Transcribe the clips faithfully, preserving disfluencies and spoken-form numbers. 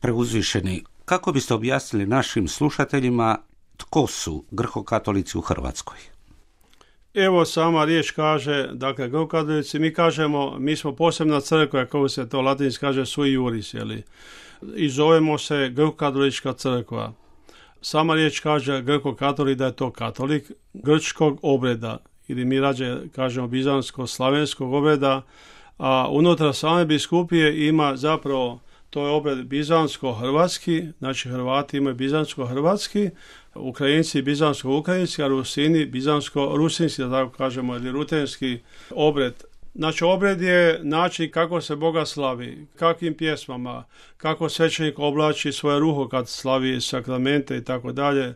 Preuzvišeni, kako biste objasnili našim slušateljima tko su grko-katolici u Hrvatskoj? Evo sama riječ kaže, dakle, grko-katolici, mi kažemo, mi smo posebna crkva, kako se to latinski kaže, sui juris, jeli? I zovemo se grko-katolička crkva. Sama riječ kaže grko-katolik da je to katolik grčkog obreda, ili mi rađe kažemo bizansko-slavenskog obreda, a unutra same biskupije ima zapravo, to je obred bizansko-hrvatski, znači Hrvati imaju bizansko-hrvatski, Ukrajinci bizansko-ukrajinski, a Rusini bizansko-rusinski, da tako kažemo, ili rutenski obred. Znači obred je način kako se Boga slavi, kakvim pjesmama, kako svećenik oblači svoje ruho kad slavi sakramente i tako dalje,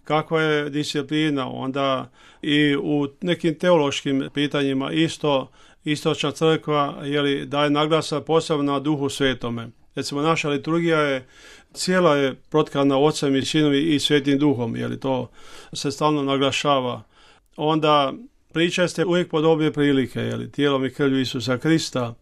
kakva je disciplina, onda i u nekim teološkim pitanjima isto istočna crkva jeli, daje naglasak posebno na Duhu Svetome. Recimo naša liturgija je cijela je protkana Ocem i Sinom i Svetim Duhom, jeli to se stalno naglašava. Onda pričaste uvijek pod obje prilike, jeli, tijelom i krvlju Isusa Krista.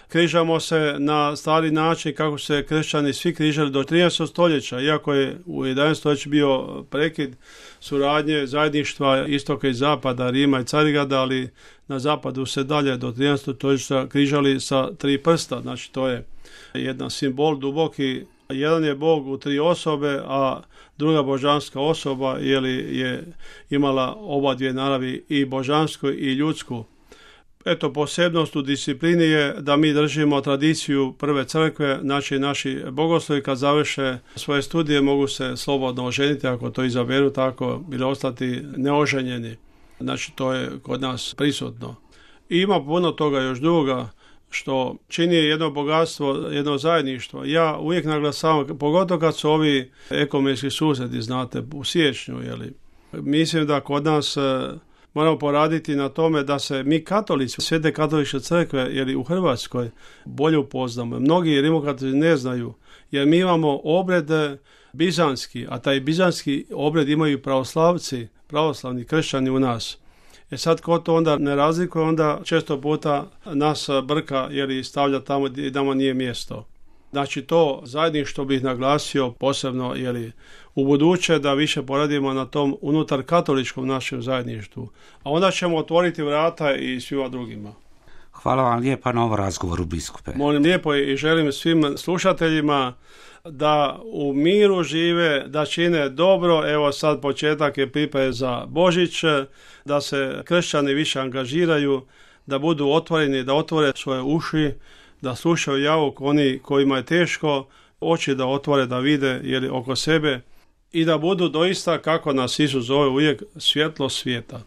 Križamo se na stari način kako se kršćani svi križali do trinaestog stoljeća, iako je u jedanaestom stoljeću bio prekid suradnje, zajedništva istoka i zapada, Rima i Carigrada, ali na zapadu se dalje do trinaestog stoljeća križali sa tri prsta, znači to je jedan simbol duboki. Jedan je Bog u tri osobe, a druga božanska osoba jeli, je imala oba dvije naravi, i božansku i ljudsku. Eto, posebnost u disciplini je da mi držimo tradiciju prve crkve, znači naši bogoslovi kad završe svoje studije mogu se slobodno oženiti ako to izaberu tako ili ostati neoženjeni. Znači to je kod nas prisutno. I ima puno toga još druga što čini jedno bogatstvo, jedno zajedništvo. Ja uvijek naglasavam, pogotovo kad su ovi ekumenski susreti, znate, u siječnju, jeli. Mislim da kod nas moramo poraditi na tome da se mi katolici, Svete katoličke crkve, jeli u Hrvatskoj, bolje upoznamo. Mnogi rimokatolici ne znaju, jer mi imamo obred bizanski, a taj bizanski obred imaju pravoslavci, pravoslavni kršćani u nas. E sad, ko to onda ne razlikuje, onda često puta nas brka jer stavlja tamo gdje nama nije mjesto. Znači to zajedništvo bih naglasio posebno jeli, u buduće da više poradimo na tom unutar katoličkom našem zajedništvu. A onda ćemo otvoriti vrata i svima drugima. Hvala vam lijepa na ovom razgovoru, biskupe. Molim lijepo i želim svim slušateljima da u miru žive, da čine dobro. Evo sad početak je pripreme za Božić, da se kršćani više angažiraju, da budu otvoreni, da otvore svoje uši, da slušaju javuk oni kojima je teško, oči da otvore, da vide jeli, oko sebe i da budu doista, kako nas Isus zove uvijek, svjetlo svijeta.